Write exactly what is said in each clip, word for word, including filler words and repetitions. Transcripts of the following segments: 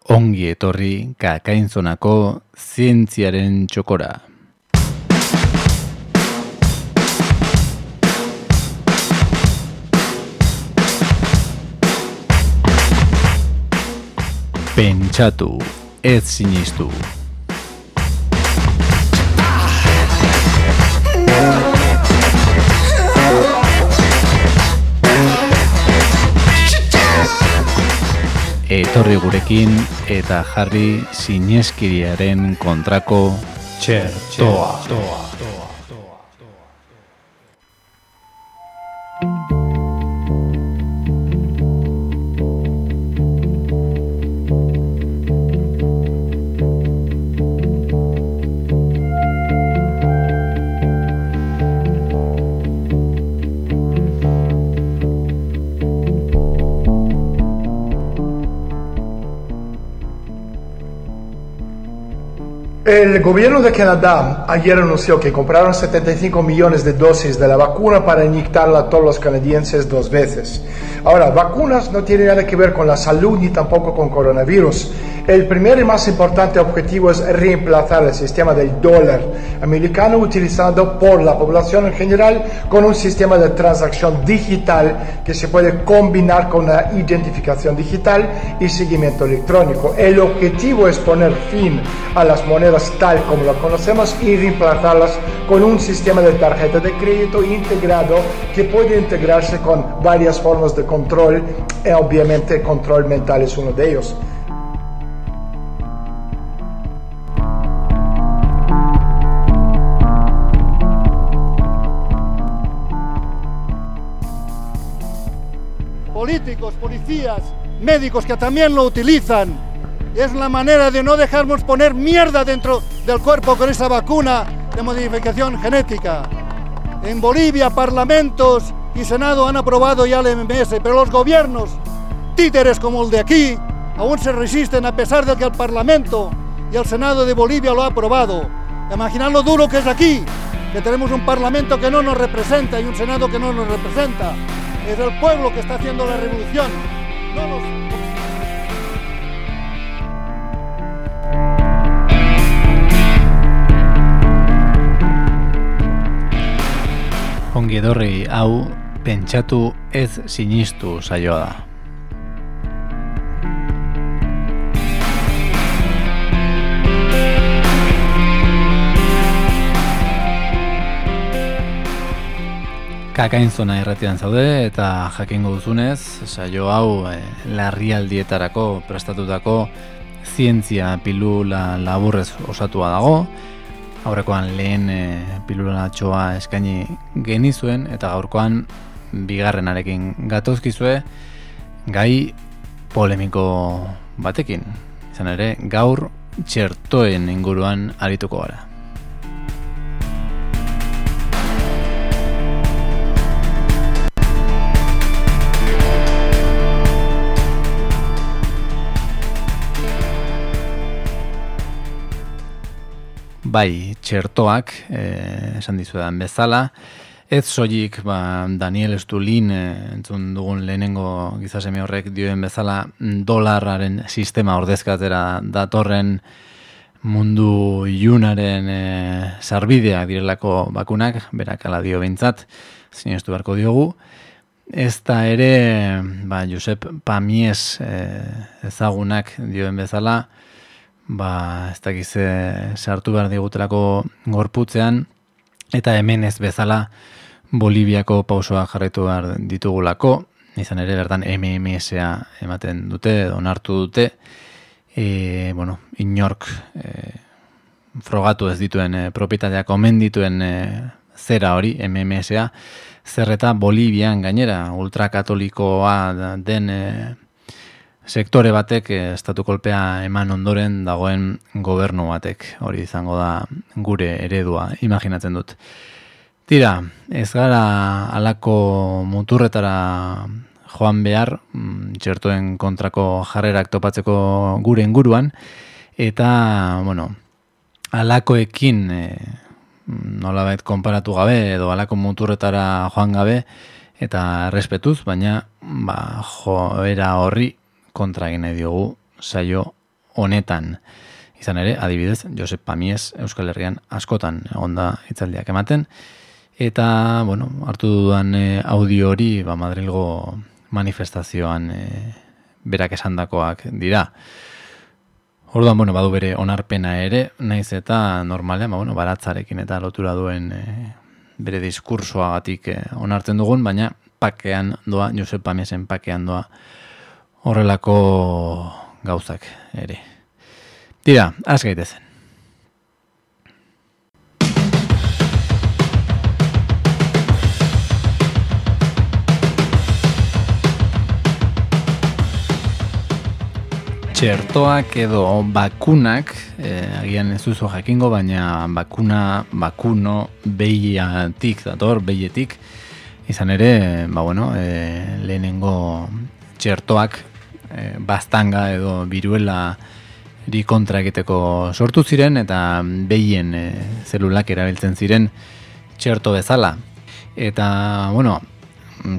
Ongi etorri Kakainzonako zientziaren txokora. Pentsatu, ez sinistu. Etorri gurekin eta jarri sineskiriaren kontrako txertoa. El gobierno de Canadá ayer anunció que compraron setenta y cinco millones de dosis de la vacuna para inyectarla a todos los canadienses dos veces. Ahora, vacunas no tienen nada que ver con la salud ni tampoco con coronavirus. El primer y más importante objetivo es reemplazar el sistema del dólar americano utilizado por la población en general con un sistema de transacción digital que se puede combinar con una identificación digital y seguimiento electrónico. El objetivo es poner fin a las monedas tal como las conocemos y reemplazarlas con un sistema de tarjeta de crédito integrado que puede integrarse con varias formas de control y obviamente el control mental es uno de ellos. Políticos, policías, médicos que también lo utilizan. Es la manera de no dejarnos poner mierda dentro del cuerpo con esa vacuna de modificación genética. En Bolivia, parlamentos y Senado han aprobado ya el M M S, pero los gobiernos, títeres como el de aquí, aún se resisten a pesar de que el Parlamento y el Senado de Bolivia lo ha aprobado. Imaginad lo duro que es aquí, que tenemos un Parlamento que no nos representa y un Senado que no nos representa. Es el pueblo que está haciendo la revolución, no los... Ongi etorri hau pentsatu ez sinistu saioa da. Kakainzona irratian zaude eta jakingo duzunez, saio hau eh, larrialdietarako prestatutako zientzia pilula laburrez osatua dago. Aurrekoan lehen e, pilulatxoa eskaini genizuen eta gaurkoan bigarrenarekin gatozkizue gai polemiko batekin. Izan ere, gaur txertoen inguruan arituko gara. Bai, txertoak, eh, esan dizuedan bezala, ez soilik ba, Daniel Stulin eh, entzun dugun lehenengo gizasemi horrek dioen bezala dolarraren sistema ordezkatera datorren mundu ilunaren eh, sarbideak direlako bakunak, berak ala dio behintzat, sinestu beharko diogu. Ez da ere, ba, Josep Pamies eh, ezagunak dioen bezala, ba, ez dakize sartu behar digutelako gorputzean, eta hemen ez bezala Boliviako pausoa jarraitu behar ditugulako, izan ere bertan M M S-a ematen dute, onartu dute, e, bueno, inork e, frogatu ez dituen, e, propietateak omen dituen e, zera hori, M M S-a, zerreta Bolivian gainera, ultrakatolikoa den e, sektore batek estatu kolpea eman ondoren dagoen gobernu batek, hori izango da gure eredua, imaginatzen dut. Tira, ez gara halako muturretara joan behar, txertoen kontrako jarrerak topatzeko gure inguruan, eta, bueno, halakoekin e, nolabait konparatu gabe, edo halako muturretara joan gabe, eta errespetuz, baina ba, joera horri kontra egin nahi diogu saio honetan. Izan ere, adibidez, Josep Pamies Euskal Herrian askotan egonda hitzaldiak ematen, eta, bueno, hartu dudan e, audio hori, ba, Madrilgo manifestazioan e, berak esandakoak dira. Orduan, bueno, badu bere onarpena ere, naiz eta normalean, ba, bueno, baratzarekin eta lotura duen e, bere diskursoagatik e, onartzen dugun, baina pakean doa, Josep Pamiesen pakean doa horrelako gauzak ere. Tira, az gaitezen. Txertoak edo bakunak, eh, agian ez duzu jakingo, baina bakuna, bakuno, behiatik, dator, behietik, izan ere, ba bueno, eh, lehenengo txertoak eh, bastanga edo biruela di kontra egiteko sortu ziren, eta behien eh, zelulak erabiltzen ziren txerto bezala. Eta, bueno,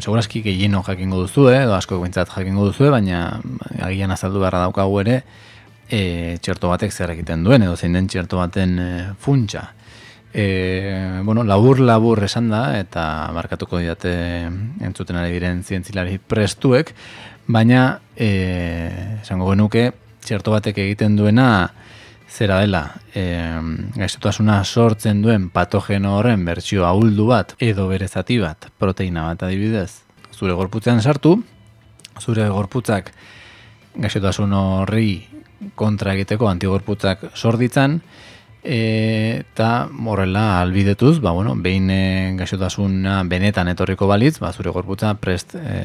segurazki gehieno jakingo duzu, eh, edo asko bintzat jakingo duzu, baina agian azaldu beharra daukagu ere e, txerto batek zer egiten duen, edo zein den txerto baten e, funtsa. E, bueno, labur-labur esan da, eta markatuko diate entzuten ari diren zientzilari prestuek, baina e, esango genuke txerto batek egiten duena zera dela, e, gaixotasuna sortzen duen patogeno horren bertsio ahuldu bat edo bere zati bat, proteina bat adibidez, zure gorputzean sartu, zure gorputzak gaixotasun horri kontra egiteko antigorputzak sorditzan, e, eta horrela albidetuz, ba, bueno, behin e, gaixotasuna benetan etorriko balitz, ba, zure gorputza prest e,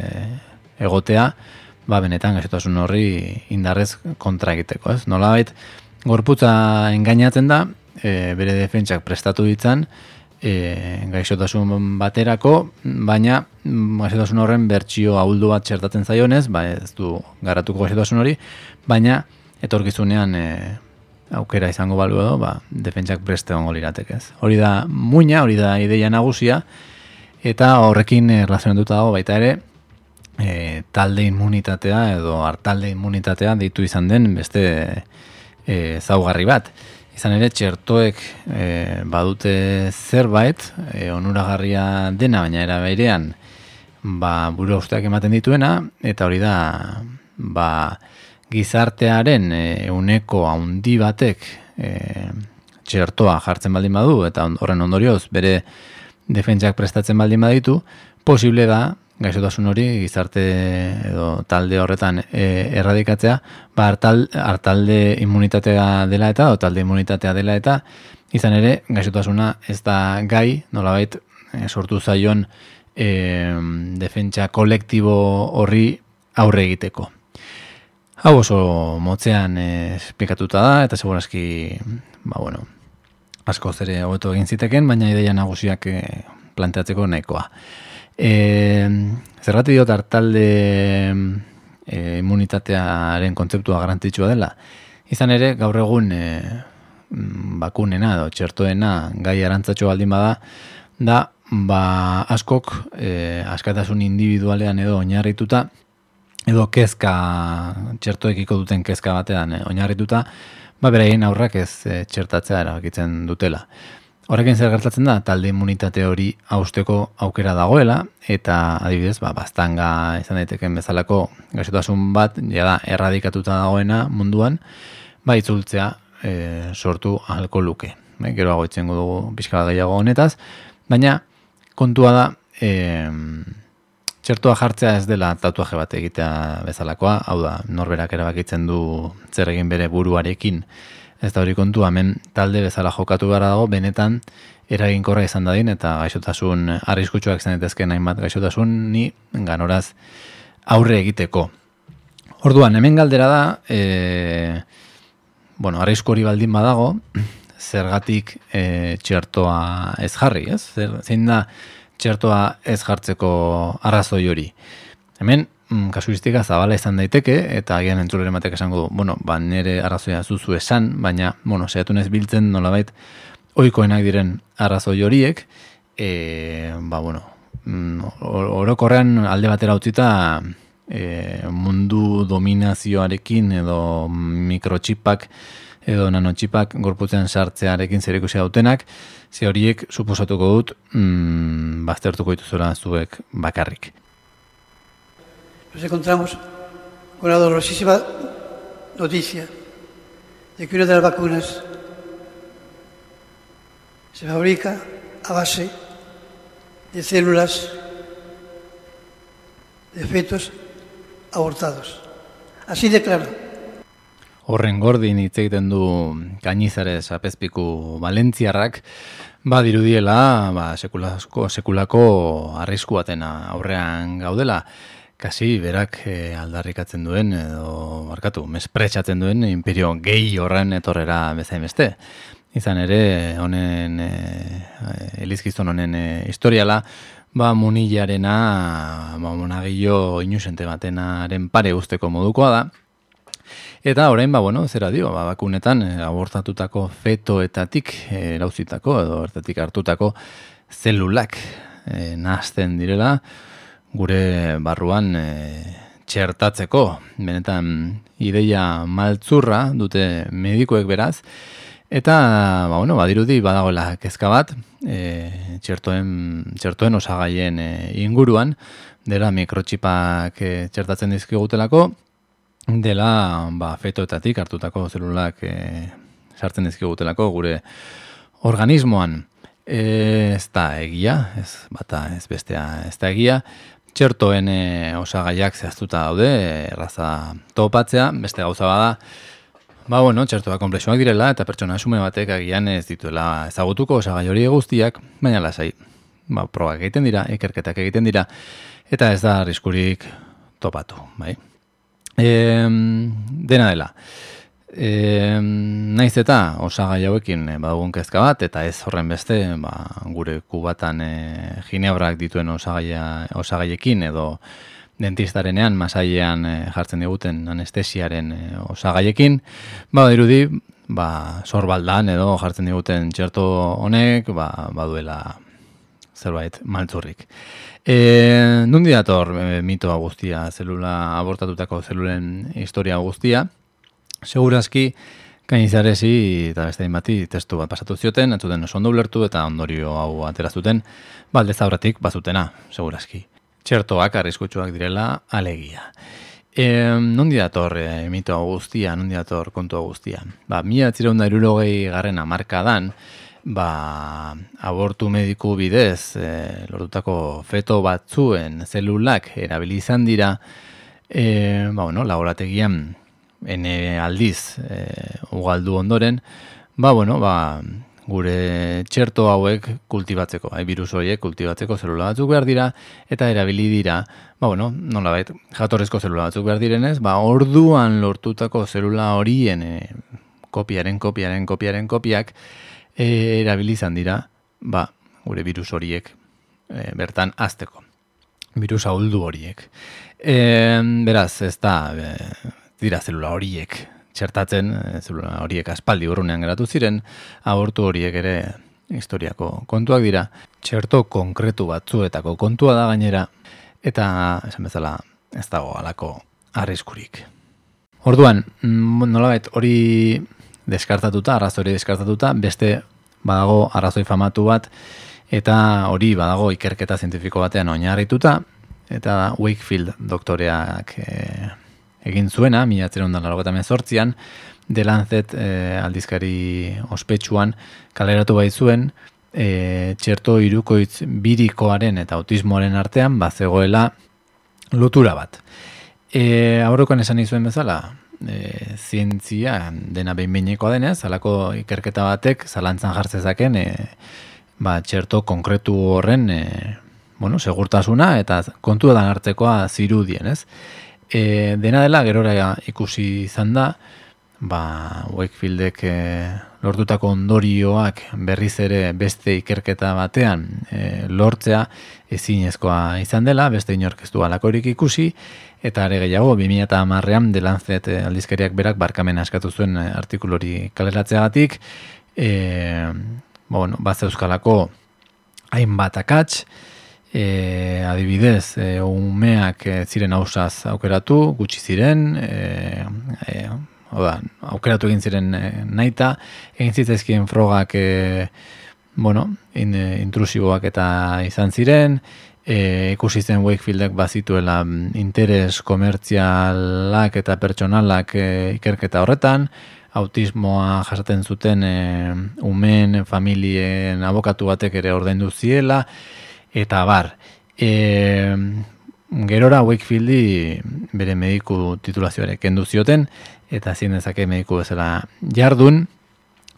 egotea, ba, benetan gaixotasun horri indarrez kontra egiteko, ez? Nolabait, gorputza engainatzen da, e, bere defentsak prestatu ditzan, e, gaixotasun baterako, baina gaixotasun horren bertsio ahuldu bat txertatzen zaionez, ba, ez du garatuko gaixotasun hori, baina etorkizunean e, aukera izango balu edo, ba, defentsak preste ongo liratekez. Hori da muina, hori da ideia nagusia, eta horrekin erlazionatuta dago baita ere, e, talde immunitatea edo hartalde immunitatea deitu izan den beste E, zaugarri bat. Izan ere, txertoek e, badute zerbait, e, onuragarria dena, baina era berean, ba, buru usteak ematen dituena, eta hori da, ba, gizartearen e, euneko haundi batek e, txertoa jartzen baldin badu, eta horren ondorioz, bere defentsak prestatzen baldin baditu, posible da, gaixotasun hori gizarte edo talde horretan e, erradikatzea, ba hartal, hartalde immunitatea dela eta o talde immunitatea dela eta izan ere gaixotasuna ez da gai, nolabait e, sortu zaion e, defentsa kolektibo horri aurre egiteko. Hau oso motzean e, esplikatuta da eta segurazki ba bueno, asko zere hobeto egin ziteken, baina ideia nagusiak e, planteatzeko nahikoa. E, zergatik diot hartalde e, immunitatearen kontzeptua garrantzitsua dela. Izan ere, gaur egun e, bakunena edo txertoena gai arantzatxo baldin bada, da ba, askok e, askatasun individualean edo oinarrituta, edo kezka, txertoekiko duten kezka batean e, oinarrituta, ba, beraien aurrak ez e, txertatzea erabakitzen dutela. Horrekin zer gertatzen da, talde immunitate hori hausteko aukera dagoela, eta adibidez, ba, bastanga izan daiteken bezalako gaixotasun bat, jada erradikatuta dagoena munduan, ba, itzultzea e, sortu ahalko luke. E, gero agoitzen dugu pixka bat gehiago honetaz, baina kontua da, e, txertoa jartzea ez dela tatuaje bat egitea bezalakoa, hau da, norberak erabakitzen du zer egin bere buruarekin. Ez da hori kontu, hemen talde bezala jokatu gara dago, benetan eraginkorra izan dadin, eta gaixotasun arriskutsuak izan daitezkeen hainbat gaixotasun ni ganoraz aurre egiteko. Orduan, hemen galdera da, e, bueno, arrisku hori baldin badago, zergatik e, txertoa ez jarri, ez? Zer, zein da txertoa ez jartzeko arrazoi hori. Hemen, kasuistika zabala izan daiteke, eta agian entzuleren batek esango du, bueno, ba, nire arrazoia zuzu esan, baina, bueno, saiatu nez biltzen nolabait ohikoenak diren arrazoi horiek, e, ba, bueno, orokorrean alde batera utzita e, mundu dominazioarekin edo mikrotxipak edo nanotxipak gorputzean sartzearekin zerikusia dutenak, ze horiek suposatuko dut mm, baztertuko dituzuela zuek bakarrik. Nos encontramos con la dolorosísima noticia de que una de las vacunas se fabrica a base de células de fetos abortados. Así de claro. Horren gordin hitz egiten du Cañizares apezpiku valentziarrak, badirudiela ba, sekulako, sekulako arrisku batena aurrean gaudela, kasi berak e, aldarrikatzen duen, edo barkatu, mespretxatzen duen imperio gehi horren etorrera bezain beste. Izan ere, honen, e, elizkizton honen e, historiala, ba, munilarena, ba, monagillo inusente batenaren pare usteko modukoa da. Eta orain, ba, bueno, zera dio, ba, bakunetan abortatutako fetoetatik erauzitako edo ertatik hartutako zelulak e, nahazten direla, gure barruan e, txertatzeko. Benetan ideia maltzurra dute medikuek beraz, eta ba, bueno, badirudi badagoela kezka bat, e, txertoen, txertoen osagaien e, inguruan, dela mikrotxipak e, txertatzen dizkigutelako, dela ba, fetoetatik hartutako zelulak e, sartzen dizkigutelako gure organismoan. E, ez da egia, ez bata ez bestea ez da egia, txertoen e, osagaiak zehaztuta daude, erraza topatzea, beste gauza bada, ba, bueno, txertoa komplexuak direla eta pertsona xume batek agian ez dituela ezagutuko osagai hori guztiak, baina lasai, ba, probak egiten dira, ikerketak egiten dira, eta ez da arriskurik topatu, bai. E, dena dela, e, naiz eta osagai hauekin e, badugun kezka bat, eta ez horren beste ba, gure kubatan e, ginebrak dituen osagaia, osagaiekin edo dentistarenean masailean e, jartzen diguten anestesiaren e, osagaiekin, ba, dirudi ba, sorbaldan edo jartzen diguten txerto honek ba, baduela zerbait maltzurrik. E, nundi dator e, mitoa guztia, zelula abortatutako zelulen historia guztia, segurazki Cañizaresi eta beste bati testu bat pasatu zioten, entzuten oso ondo ulertu eta ondorio hau aterazuten, baldez aurretik bazutena, segurazki. Txertoak arriskutsuak direla alegia. E, nundi dator e, mitoa guztia, nundi dator kontua guztia. Ba, mila bederatziehun eta hirurogei garren hamarkadan, ba, abortu mediku bidez e, lortutako feto batzuen zelulak erabili izan dira, e, ba, bueno, laborategian ene aldiz e, ugaldu ondoren, ba, bueno, ba, gure txerto hauek kultibatzeko, hai, virus horiek kultibatzeko zelula batzuk behar dira, eta erabili dira, ba, bueno, nolabait, jatorrezko zelula batzuk behar direnez, ba, orduan lortutako zelula horien e, kopiaren, kopiaren, kopiaren, kopiak, E, erabilizan dira, ba, gure virus horiek e, bertan azteko. Virus ahuldu horiek. E, beraz, ez da, e, dira zelula horiek txertatzen, e, zelula horiek aspaldi urrunean geratu ziren, abortu horiek ere historiako kontuak dira, txerto konkretu batzuetako kontua da gainera, eta, esan bezala, ez dago halako arriskurik. Orduan, nolabait hori deskartatuta, arrazoi deskartatuta, beste badago arrazoi famatu bat, eta hori badago ikerketa zientifiko batean oinarrituta, eta da Wakefield doktoreak e, egin zuena, mila bederatziehun eta laurogeita hemezortzian, The Lancet e, aldizkari ospetsuan kaleratu baitzuen, e, txerto hirukoitz birikoaren eta autismoaren artean bazegoela lotura bat. E, aurrekoan esan izuen bezala, E, zientzia dena behin-behinekoa denez, halako ikerketa batek zalantzan jartzezaken e, ba, txerto konkretu horren e, bueno, segurtasuna eta kontuetan hartzekoa zirudien, ez? E, dena dela gerora ikusi izan da, ba, Wakefieldek e, lortutako ondorioak berriz ere beste ikerketa batean e, lortzea ezinezkoa izan dela, beste inork ez du halakorik ikusi, eta are gehiago, bi mila hamarrean The Lancet aldizkariak berak barkamena eskatu zuen artikulu hori kaleratzeagatik, e, bueno, bat zeuzkalako hainbat akats, E, adibidez, e, umeak e, ziren ausaz aukeratu, gutxi ziren, e, e, oda, aukeratu egin ziren e, naita, egin zitzaizkien frogak e, bueno, in, e, intrusiboak eta izan ziren, e, ikusi zen Wakefieldek bazituela interes komertzialak eta pertsonalak e, ikerketa horretan, autismoa jasaten zuten e, umeen, familien abokatu batek ere ordaindu ziela, eta bar, e, gerora Wakefieldi bere mediku titulazioare kendu zioten, eta ezin dezake mediku bezala jardun,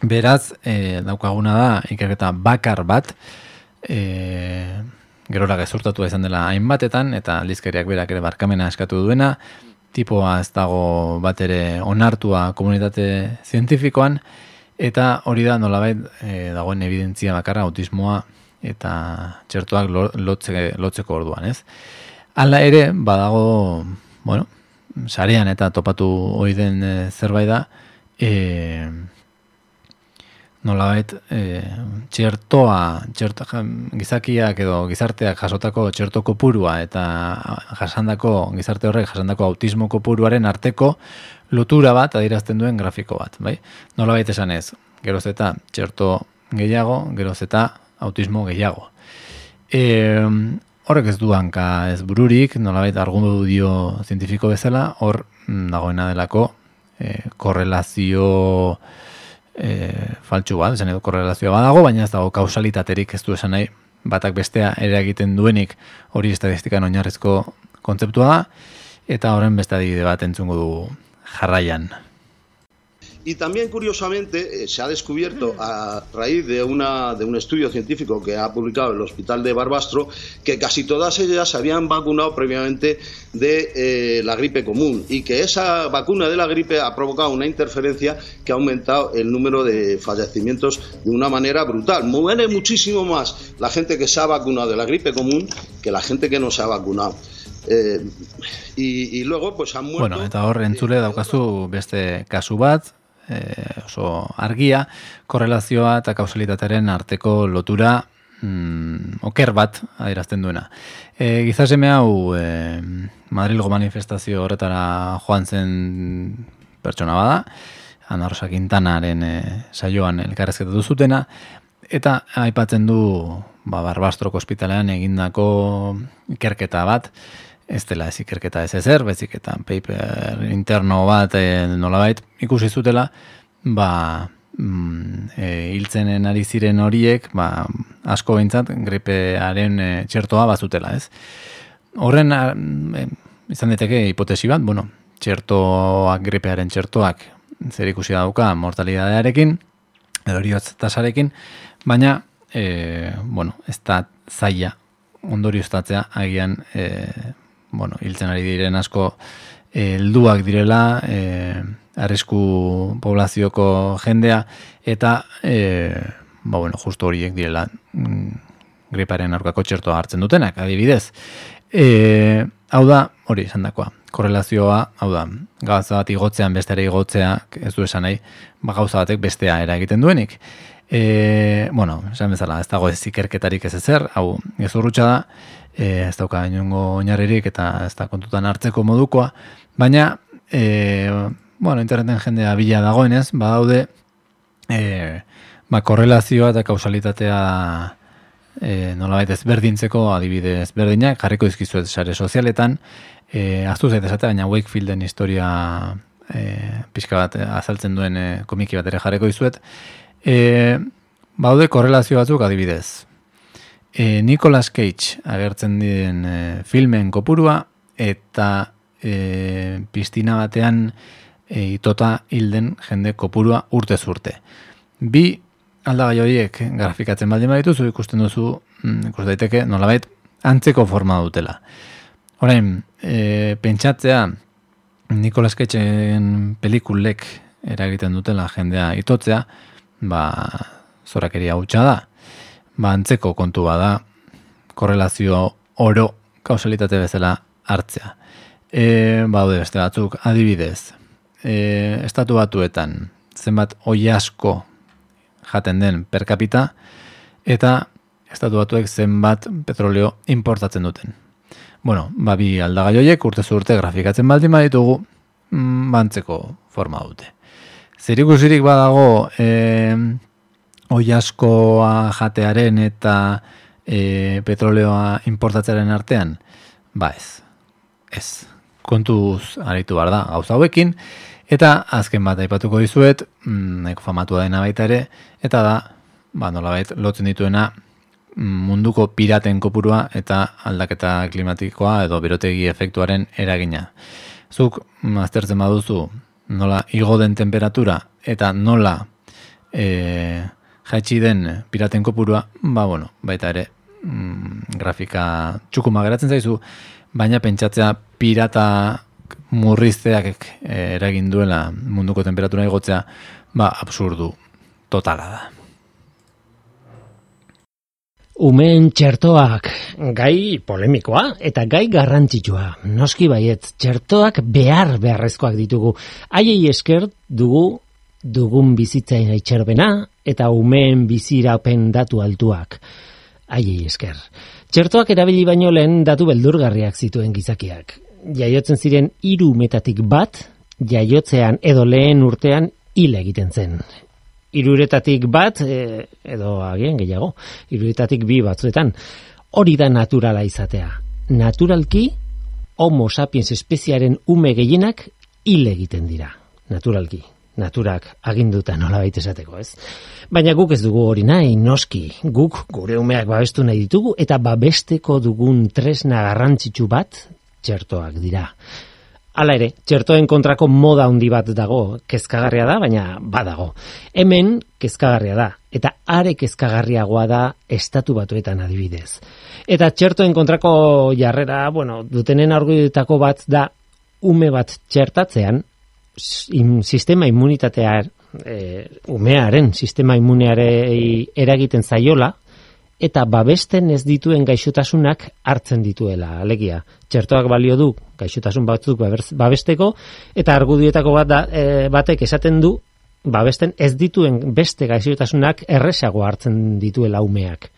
beraz, e, daukaguna da, ikerketa bakar bat, e, gerora gezurtatua izan dela hainbatetan, eta aldizkariak berak ere barkamena eskatu duena, tipoa ez dago bat ere onartua komunitate zientifikoan, eta hori da nolabait e, dagoen evidentzia bakarra autismoa eta txertoak lotze, lotzeko orduan, ez? Hala ere, badago, bueno, sarean eta topatu ohi den e, zerbait da, e, nolabait, e, txertoa, txerto, gizakiak edo gizarteak jasotako txerto kopurua eta jasandako, gizarte horrek jasandako autismo kopuruaren arteko lotura bat adierazten duen grafiko bat, bai? Nolabait esan ez, geroz eta txerto gehiago, geroz eta autismo gehiago. E, horrek ez du hanka ez bururik, nolabait argudio zientifiko bezala, hor dagoena delako e, korrelazio e, faltsu bat, esan edo korrelazioa badago, baina ez dago kausalitaterik ez du esan nahi, batak bestea ere egiten duenik hori estatistikan oinarrizko kontzeptua da, eta horren beste adibide bat entzungo du jarraian. Y también, curiosamente, eh, se ha descubierto a raíz de, una, de un estudio científico que ha publicado el Hospital de Barbastro que casi todas ellas se habían vacunado previamente de eh, la gripe común y que esa vacuna de la gripe ha provocado una interferencia que ha aumentado el número de fallecimientos de una manera brutal. Muere muchísimo más la gente que se ha vacunado de la gripe común que la gente que no se ha vacunado. Eh, y, y luego pues han muerto... Bueno, eta hor entzule daukazu beste kasu bat, E, oso argia, korrelazioa eta kausalitatearen arteko lotura mm, oker bat adierazten duena. E, gizaseme hau e, Madrilgo manifestazio horretara joan zen pertsona bada, Ana Rosa Quintanaren e, saioan elkarrezketatu zutena, eta aipatzen du ba, Barbastroko ospitalean egindako ikerketa bat, ez dela ez ikerketa ez ezer, bezik eta paper interno bat e, nolabait ikusi zutela, ba, mm, e, hiltzenen ari ziren horiek, ba, asko behintzat gripearen e, txertoa bazutela, ez? Horren, e, izan daiteke hipotesi bat, bueno, txertoak, gripearen txertoak zer ikusi dauka mortalidadearekin, edo heriotz tasarekin, baina, e, bueno, ez da zaila ondorioztatzea agian, e, bueno, hiltzen ari diren asko helduak direla, e, arrisku poblazioko jendea, eta e, ba, bueno, justo horiek direla mm, griparen aurkako txertoa hartzen dutenak, adibidez. E, hau da, hori esan dakoa, korrelazioa, hau da, gauza bat igotzean besteare igotzea, ez du esan nahi, ba, gauza batek bestea eragiten duenik. E, bueno, esan bezala, ez dago ez ikerketarik ez ezer, hau gezurrutxa da, e, ez dauka inongo oinarririk eta ez da kontutan hartzeko modukoa, baina, e, bueno, interneten jendea bila dagoenez, badaude, e, ba, korrelazioa eta kausalitatea e, nolabait ezberdintzeko adibide ezberdinak, jarriko dizkizuet sare sozialetan, e, aztu zait esate, baina Wakefielden historia e, pixka bat azaltzen duen e, komiki bat ere jarriko dizuet, E, baude korrelazio batzuk adibidez. E, Nicolas Cage agertzen diren e, filmen kopurua eta e, piztina batean e, itota hilden jende kopurua urtez urte. Bi aldagai horiek grafikatzen baldin badituzu ikusten duzu, mm, ikus daiteke nolabait antzeko forma dutela. Orain, e, pentsatzea Nicolas Cageen pelikulek eragiten dutela jendea itotzea, ba, zorakeria hutsa da. Ba, antzeko kontu bada korrelazio oro kausalitate bezala hartzea. E, baude beste batzuk, adibidez, e, estatu batuetan zenbat oi asko jaten den per capita, eta Estatu Batuek zenbat petroleo importatzen duten. Bueno, ba bi aldagai horiek urtez urte grafikatzen baldin baditugu, mm, bantzeko forma dute. Zerikusirik badago eh, oilaskoa jatearen eta eh, petroleoa importatzearen artean? Ba ez. Ez. Kontuz aritu behar da gauza hauekin, eta azken bat aipatuko dizuet, nahiko famatua dena baita ere, eta da, ba, nolabait lotzen dituena munduko piraten kopurua eta aldaketa klimatikoa edo berotegi efektuaren eragina. Zuk aztertzen baduzu nola igo den temperatura eta nola e, jaitsi den piraten kopurua, ba bueno, baita ere mm, grafika txukuma geratzen zaizu, baina pentsatzea pirata murrizteak eragin duela munduko temperatura igotzea, ba absurdu totala da. Umeen txertoak, gai polemikoa eta gai garrantzitsua. Noski baiet, txertoak behar beharrezkoak ditugu. Haiei esker dugu dugun bizitzain itxerbena eta umeen bizirapen datu altuak. Haiei esker. Txertoak erabili baino lehen datu beldurgarriak zituen gizakiak. Jaiotzen ziren hiru umetatik bat, jaiotzean edo lehen urtean hil egiten zen. Hiruretatik bat, e, edo agian gehiago, hiruretatik bi batzuetan, hori da naturala izatea. Naturalki, Homo sapiens espeziaren ume gehienak hil egiten dira. Naturalki, naturak aginduta nolabait esateko, ez? Baina guk ez dugu hori nahi, noski, guk gure umeak babestu nahi ditugu, eta babesteko dugun tresna garrantzitsu bat, txertoak dira. Hala ere, txertoen kontrako moda handi bat dago, kezkagarria da, baina badago. Hemen kezkagarria da, eta are kezkagarriagoa da Estatu Batuetan adibidez. Eta txertoen kontrako jarrera, bueno, dutenen argudietako bat da, ume bat txertatzean, sistema immunitatea, e, umearen sistema immunearei eragiten zaiola, eta babesten ez dituen gaixotasunak hartzen dituela, alegia. Txertoak balio du gaixotasun batzuk babesteko, eta argudietako bat da, e, batek esaten du babesten ez dituen beste gaixotasunak erresago hartzen dituela umeak.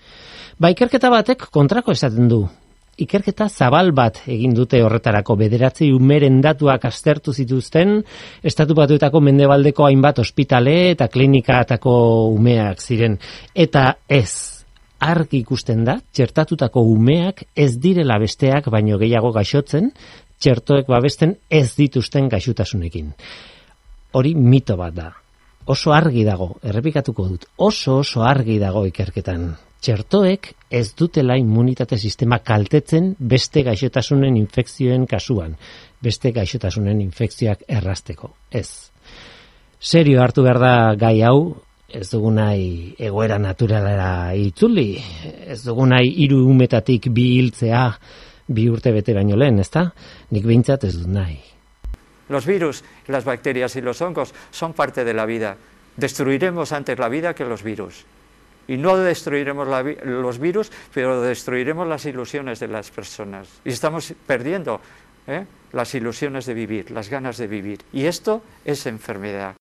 Ba, ikerketa batek kontrako esaten du. Ikerketa zabal bat egin dute horretarako, bederatzi umeren datuak aztertu zituzten, Estatu Batuetako mendebaldeko hainbat ospitale eta klinikatako umeak ziren, eta ez. Argi ikusten da, txertatutako umeak ez direla besteak baino gehiago gaixotzen, txertoek babesten ez dituzten gaixotasunekin. Hori mito bat da. Oso argi dago, errepikatuko dut, oso oso argi dago ikerketan. Txertoek ez dutela immunitate sistema kaltetzen beste gaixotasunen infekzioen kasuan, beste gaixotasunen infekzioak errazteko. Ez. Serio hartu behar da gai hau, ez dugu nahi egoera naturalera itzuli, ez dugu nahi hiru umetatik bi hiltzea bi urte bete baino lehen, ezta? Nik behintzat ez dut nahi. Los virus, las bacterias y los hongos son parte de la vida. Destruiremos antes la vida que los virus. Y no destruiremos la, los virus, pero destruiremos las ilusiones de las personas. Y estamos perdiendo ¿eh? las ilusiones de vivir, las ganas de vivir. Y esto es enfermedad.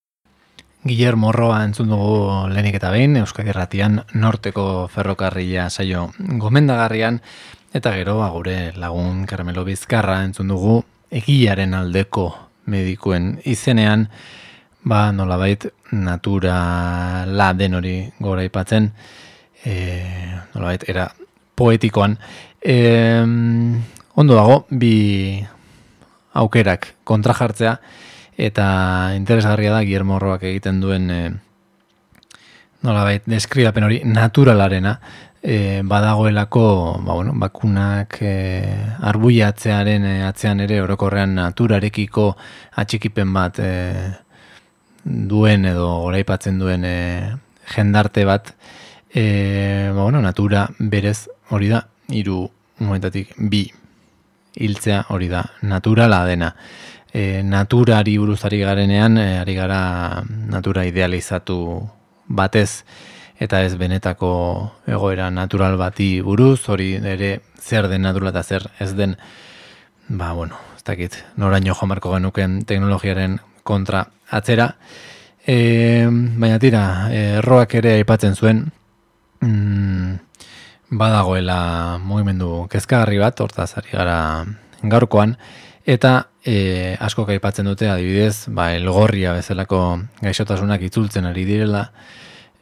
Guillermo Roa entzun dugu lehenik eta behin, Euskadi Irratian norteko ferrokarrila saio gomendagarrian, eta gero gure lagun Carmelo Bizkarra entzun dugu egiaren aldeko medikuen izenean, ba nolabait naturala den hori gora aipatzen, e, nolabait era poetikoan. E, ondo dago, bi aukerak kontrajartzea, eta interesgarria da Guillermo Roak egiten duen e, nolabait deskribapen hori naturalarena, e, badagoelako ba, bueno, bakunak e, arbuiatzearen e, atzean ere orokorrean naturarekiko atxikipen bat e, duen edo goraipatzen duen e, jendarte bat, e, ba, bueno, natura berez hori da, hiru momentatik bi hiltzea hori da, naturala dena. E, naturari buruz ari garenean, e, ari gara natura idealizatu batez, eta ez benetako egoera natural bati buruz, hori ere zer den naturala eta zer ez den, ba, bueno, ez dakit, noraino joan beharko genuken teknologiaren kontra atzera. E, baina tira, e, Roak ere aipatzen zuen, mm, badagoela mugimendu kezkagarri bat, hortaz ari gara gaurkoan, eta e, asko aipatzen dute adibidez, ba, elgorria bezalako gaixotasunak itzultzen ari direla,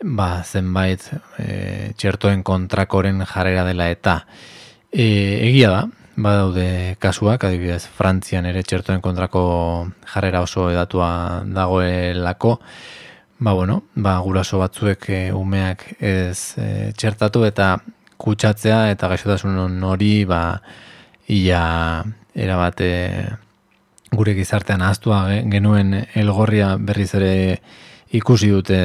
ba, zenbait e, txertoen kontrakoren jarrera dela eta e, egia da, badaude kasuak, adibidez Frantzian ere txertoen kontrako jarrera oso edatua dagoelako, ba, bueno, ba, guraso batzuek e, umeak ez e, txertatu eta kutsatzea eta gaixotasun hori ba, ia erabate gure gizartean ahaztua genuen elgorria berriz ere ikusi dute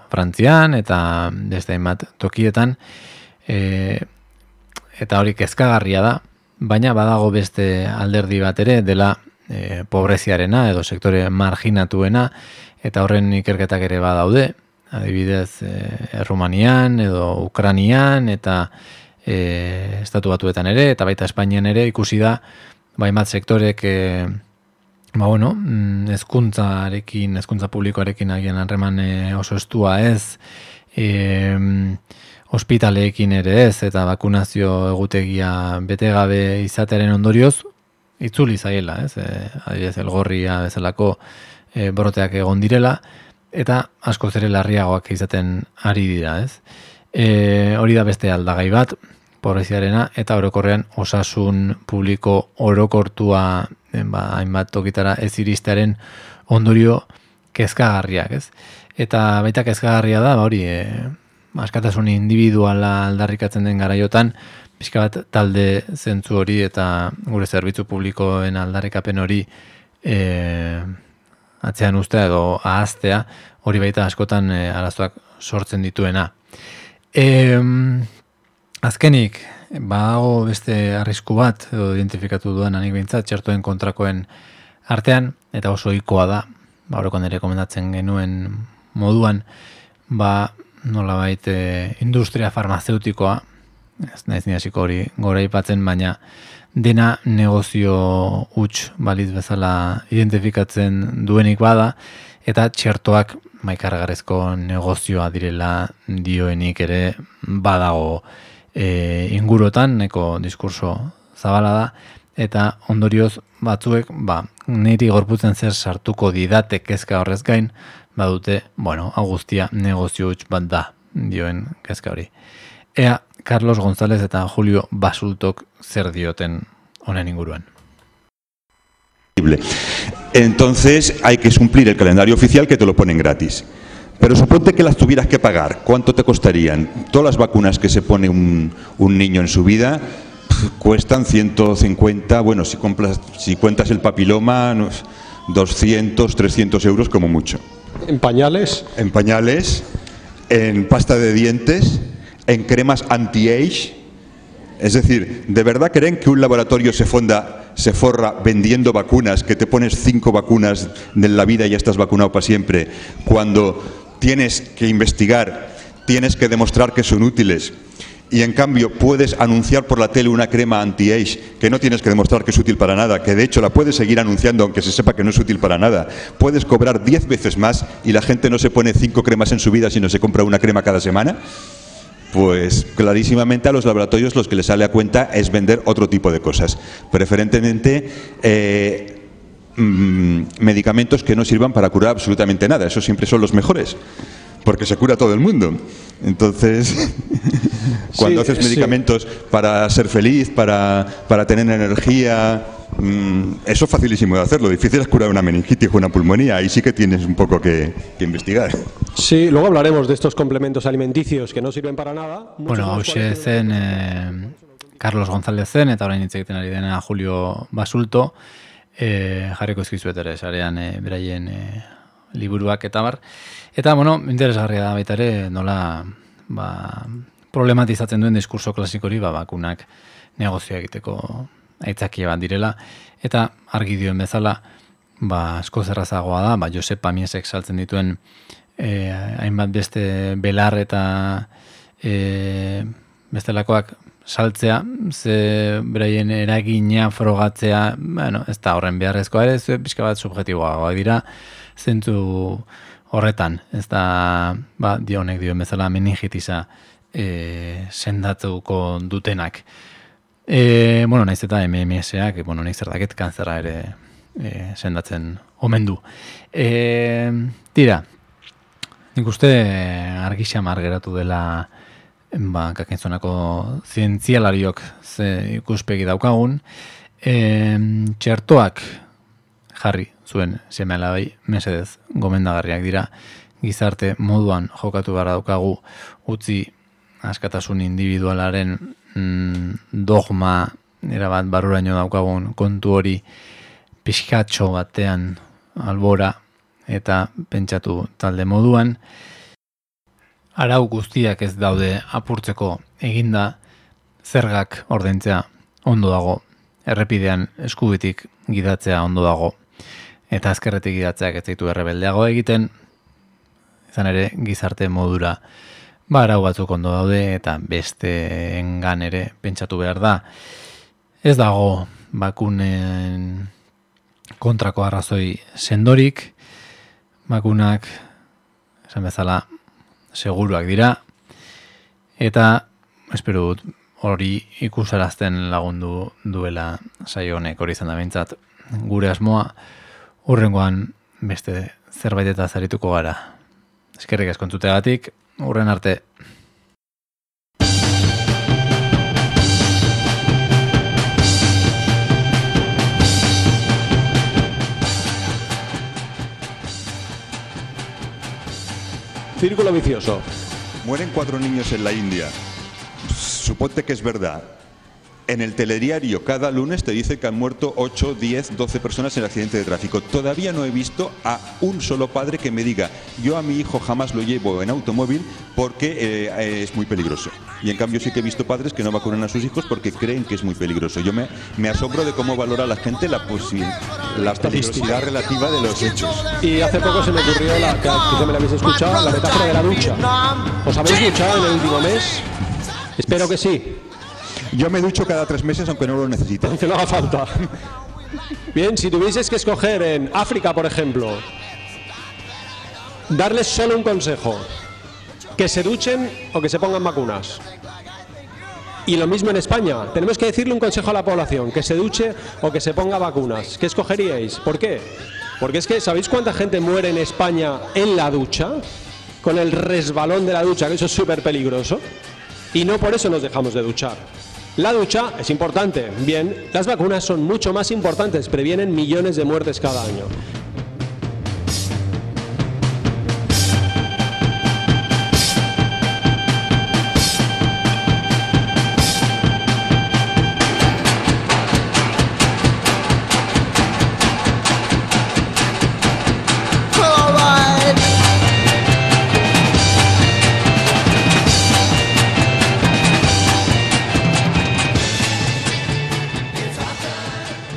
Frantzian eta beste hainbat tokietan e, eta hori kezkagarria da, baina badago beste alderdi bat ere dela e, pobreziarena edo sektore marginatuena eta horren ikerketak ere badaude, adibidez e, Errumanian edo Ukranian eta e, estatu batuetan ere eta baita Espainian ere ikusi da baimat sektorek e, ba bueno, hezkuntzarekin, hezkuntza publikoarekin agian harreman e, oso estua ez, e, ospitaleekin ere ez eta bakunazio egutegia betegabe izatearen ondorioz itzuli zaiela, ez? E, adibidez elgorria bezalako e, boroteak egon direla eta askoz ere larriagoak izaten ari dira, ez? E, hori da beste aldagai bat, pobreziarena eta orokorrean osasun publiko orokortua ba, hainbat tokitara ez iristearen ondorio kezkagarriak, ez? Eta baita kezkagarria da, ba, hori, e, askatasun individuala aldarrikatzen den garaiotan, pixka bat talde zentzu hori eta gure zerbitzu publikoen aldarrikapen hori e, atzean ustea edo ahaztea, hori baita askotan e, arazoak sortzen dituena. E, azkenik, badago beste arrisku bat, edo identifikatu duan anik behintzat, txertoen kontrakoen artean, eta oso ohikoa da, ba, horrekon ere komendatzen genuen moduan, ba, nolabait e, industria farmazeutikoa, ez naiz ni hasiko hori goraipatzen, baina dena negozio huts balitz bezala identifikatzen duenik bada, eta txertoak maikargarrezko negozioa direla dioenik ere badago e, ingurotan, neko diskurso zabala da, eta ondorioz batzuek, ba, niri gorputzen zer sartuko didate kezka horrez gain, badute, bueno, hau guztia negozio huts bat da, dioen kezka hori. Ea, Carlos González eta Julio Basultok zer dioten honen inguruan. Entonces hay que cumplir el calendario oficial que te lo ponen gratis. Pero suponte que las tuvieras que pagar, ¿cuánto te costarían? Todas las vacunas que se pone un, un niño en su vida pff, cuestan ciento cincuenta, bueno, si, compras, si cuentas el papiloma, doscientos, trescientos euros como mucho. ¿En pañales? En pañales, en pasta de dientes, en cremas anti-age. Es decir, ¿de verdad creen que un laboratorio se fonda, se forra vendiendo vacunas, que te pones cinco vacunas de la vida y ya estás vacunado para siempre, cuando tienes que investigar, tienes que demostrar que son útiles y en cambio puedes anunciar por la tele una crema anti-age que no tienes que demostrar que es útil para nada, que de hecho la puedes seguir anunciando aunque se sepa que no es útil para nada, puedes cobrar diez veces más y la gente no se pone cinco cremas en su vida sino se compra una crema cada semana? Pues clarísimamente a los laboratorios los que les sale a cuenta es vender otro tipo de cosas, preferentemente eh, mmm, medicamentos que no sirvan para curar absolutamente nada, esos siempre son los mejores, porque se cura todo el mundo. Entonces, cuando sí, haces medicamentos sí. para ser feliz, para, para tener energía, mmm, eso es facilísimo de hacerlo, difícil es curar una meningitis o una pulmonía, ahí sí que tienes un poco que, que investigar. Sí, luego hablaremos de estos complementos alimenticios que no sirven para nada. Bueno, hauxe zen eh, Carlos González zen, eta orain hitz egiten ari dena Julio Basulto, eh, jarriko ezkizuet ere, sarean eh, beraien eh, liburuak eta bar. Eta, bueno, interesgarria da baita ere, nola ba, problematizatzen duen diskurso klasikori, ba, bakunak negozio egiteko aitzakia bat direla, eta argi dioen bezala, ba, asko zerrazagoa da, ba, Josep Pamiesek saltzen dituen Eh, hainbat beste belar eta eh, bestelakoak saltzea, ze beraien eragina frogatzea, bueno, ez da horren beharrezkoa ere, ze pixka bat subjetiboagoak dira, zentzu horretan, ez da, ba, dionek dioen bezala meningitisa e, sendatuko dutenak. E, bueno, naiz eta M M S-ak, bueno, naiz zerdaket kanzera ere e, sendatzen omen du. E, tira, nik uste argi xamar geratu dela ba, kakintzonako zientzialariok ze ikuspegi daukagun. E, txertoak jarri zuen seme alabai mesedez gomendagarriak dira, gizarte moduan jokatu behar daukagu, utzi askatasun individualaren mm, dogma erabat barruraino daukagun kontu hori pixkatxo batean albora eta pentsatu talde moduan. Arau guztiak ez daude apurtzeko eginda, zergak ordaintzea ondo dago, errepidean eskubitik gidatzea ondo dago, eta azkerretik gidatzeak ez zaitu errebeldeago egiten, izan ere gizarte modura ba, arau batzuk ondo daude eta besteengan ere pentsatu behar da. Ez dago bakunen kontrako arrazoi sendorik, bakunak esan bezala seguruak dira, eta espero dut hori ikusarazten lagundu duela saio honek, hori izan da behintzat gure asmoa, hurrengoan beste zerbait eta zarituko gara. Eskerrik asko entzuteagatik, hurren arte. Círculo vicioso. Mueren cuatro niños en la India. Suponte que es verdad. En el telediario cada lunes te dice que han muerto ocho, diez, doce personas en accidente de tráfico. Todavía no he visto a un solo padre que me diga: yo a mi hijo jamás lo llevo en automóvil porque eh, es muy peligroso. Y en cambio sí que he visto padres que no vacunan a sus hijos porque creen que es muy peligroso. Yo me, me asombro de cómo valora la gente la, la peligrosidad relativa de los hechos. Y hace poco se me ocurrió, la, que quizá me la habéis escuchado, la metáfora de la ducha. ¿Os habéis duchado en el último mes? Espero que sí. Yo me ducho cada tres meses aunque no lo necesite. Aunque no haga falta. Bien, si tuvieses que escoger en África, por ejemplo, darles solo un consejo: que se duchen o que se pongan vacunas. Y lo mismo en España, tenemos que decirle un consejo a la población: que se duche o que se ponga vacunas. ¿Qué escogeríais? ¿Por qué? Porque es que, ¿sabéis cuánta gente muere en España en la ducha? Con el resbalón de la ducha, que eso es súper peligroso. Y no por eso nos dejamos de duchar. La ducha es importante, bien, las vacunas son mucho más importantes, previenen millones de muertes cada año.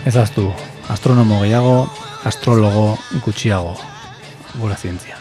Ezaztu, astronomo gehiago, astrologo gutxiago, gura zientzia.